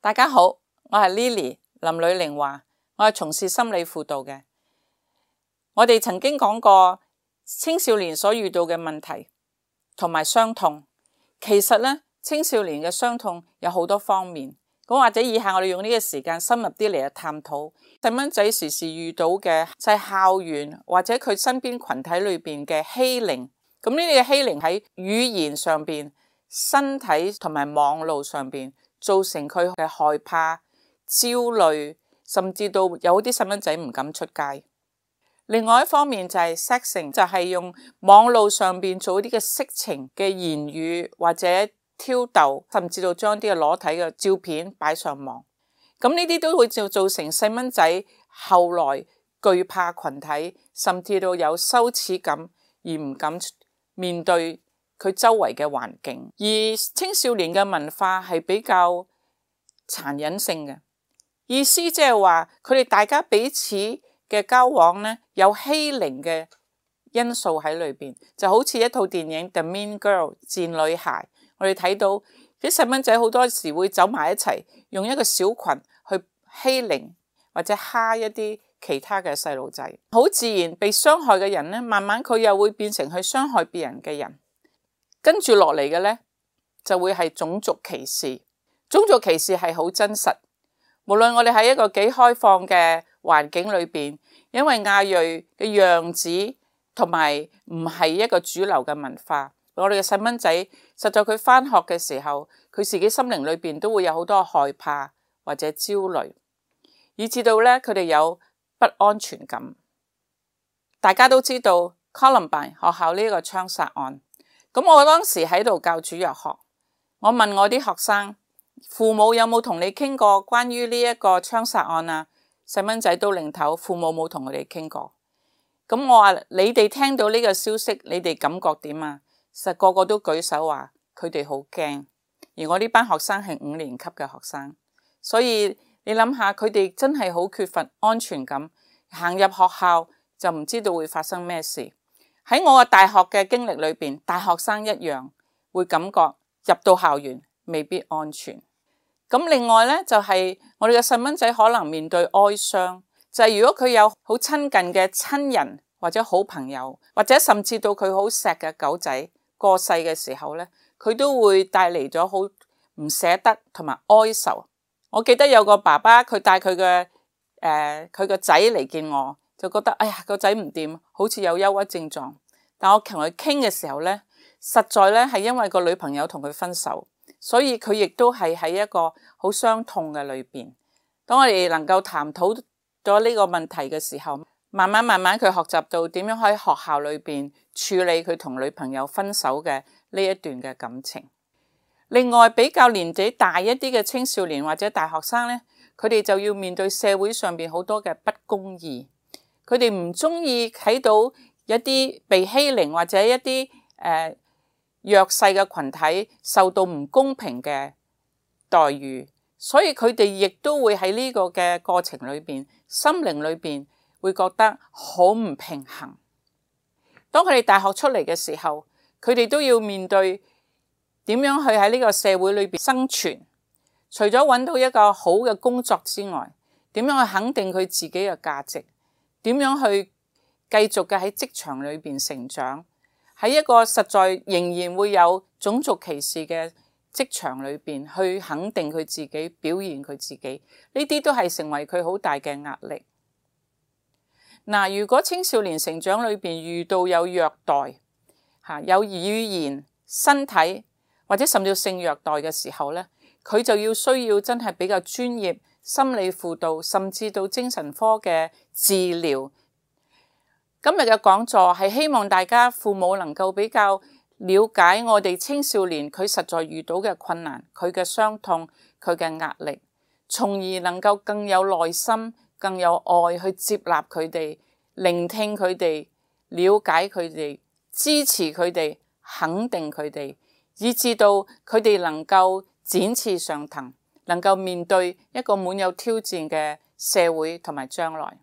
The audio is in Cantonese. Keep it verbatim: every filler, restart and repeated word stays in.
大家好，我係 Lily 林呂玲華，我係從事心理輔導嘅。我哋曾經講過青少年所遇到嘅問題同埋傷痛，其實咧青少年嘅傷痛有好多方面。咁或者以下我哋用呢個時間深入啲嚟去探討細蚊仔時時遇到嘅就係校園或者佢身邊群體裏邊嘅欺凌。咁呢啲嘅欺凌喺語言上邊、身體同埋網絡上邊，造成佢嘅害怕、焦慮，甚至到有啲細蚊仔唔敢出街。另外一方面就係 sexing， 就係用網絡上邊做啲嘅色情嘅言語或者挑逗，甚至到將啲嘅裸體嘅照片擺上網。咁呢啲都會就造成細蚊仔後來懼怕群體，甚至到有羞恥感而唔敢面對佢周圍嘅環境。而青少年嘅文化係比較殘忍性嘅，意思即係話佢哋大家彼此嘅交往呢，有欺凌嘅因素喺裏邊，就好似一套電影 The Mean Girl 賤女孩，我哋睇到啲細蚊仔好多時會走埋一齊，用一個小群去欺凌或者蝦一啲其他嘅細路仔，好自然被傷害嘅人呢，慢慢佢又會變成去傷害別人嘅人。跟住落嚟嘅呢，就會係種族歧視。種族歧視係好真實，無論我哋喺一個幾開放嘅環境裏邊，因為亞裔嘅樣子同埋唔係一個主流嘅文化，我哋嘅細蚊仔實在佢返學嘅時候，佢自己心靈裏邊都會有好多害怕或者焦慮，以至到咧佢哋有不安全感。大家都知道 Columbine 學校呢個槍殺案，咁我當時喺度教主日學，我問我啲學生，父母有冇同你傾過關於呢一個槍殺案啊？細蚊仔都擰頭，父母冇同佢哋傾過。咁我話你哋聽到呢個消息，你哋感覺點啊？實個個都舉手話佢哋好驚。而我呢班學生係五年級嘅學生，所以你諗下，佢哋真係好缺乏安全感，行入學校就唔知道會發生咩事。喺我嘅大學嘅經歷裏邊，大學生一樣會感覺入到校園未必安全。咁另外呢，就係我哋嘅細蚊仔可能面對哀傷，就係如果佢有好親近嘅親人或者好朋友，或者甚至到佢好錫嘅狗仔過世嘅時候呢，佢都會帶嚟咗好唔捨得同埋哀愁。我記得有個爸爸，佢帶佢嘅誒佢個仔嚟見我，就覺得哎呀個仔唔掂，好似有憂鬱症狀。但我同佢傾嘅時候呢，實在呢係因為個女朋友同佢分手，所以佢亦都係喺一個好傷痛嘅裏邊。當我哋能夠談討咗呢個問題嘅時候，慢慢慢慢佢學習到點樣喺學校裏邊處理佢同女朋友分手嘅呢一段嘅感情。另外比較年紀大一啲嘅青少年或者大學生呢，佢哋就要面對社會上邊好多嘅不公義，佢哋唔中意睇到一啲被欺凌或者一啲誒、呃弱勢嘅群體受到唔公平嘅待遇，所以佢哋亦都會喺呢個嘅過程裏邊，心靈裏邊會覺得好唔平衡。當佢哋大學出嚟嘅時候，佢哋都要面對點樣去喺呢個社會裏邊生存。除咗揾到一個好嘅工作之外，點樣去肯定佢自己嘅價值？點樣去繼續嘅喺職場裏邊成長？喺一個實在仍然會有種族歧視嘅職場裏邊，去肯定佢自己，表現佢自己，呢啲都係成為佢好大嘅壓力。嗱，如果青少年成長裏邊遇到有虐待，吓有語言、身體或者甚至性虐待嘅時候咧，佢就要需要真係比較專業心理輔導，甚至到精神科嘅治療。今日嘅講座係希望大家父母能夠比較了解我哋青少年佢實在遇到嘅困難，佢嘅傷痛，佢嘅壓力，從而能夠更有耐心、更有愛去接納佢哋，聆聽佢哋，了解佢哋，支持佢哋，肯定佢哋，以至到佢哋能夠展翅上騰，能夠面對一個滿有挑戰嘅社會同埋將來。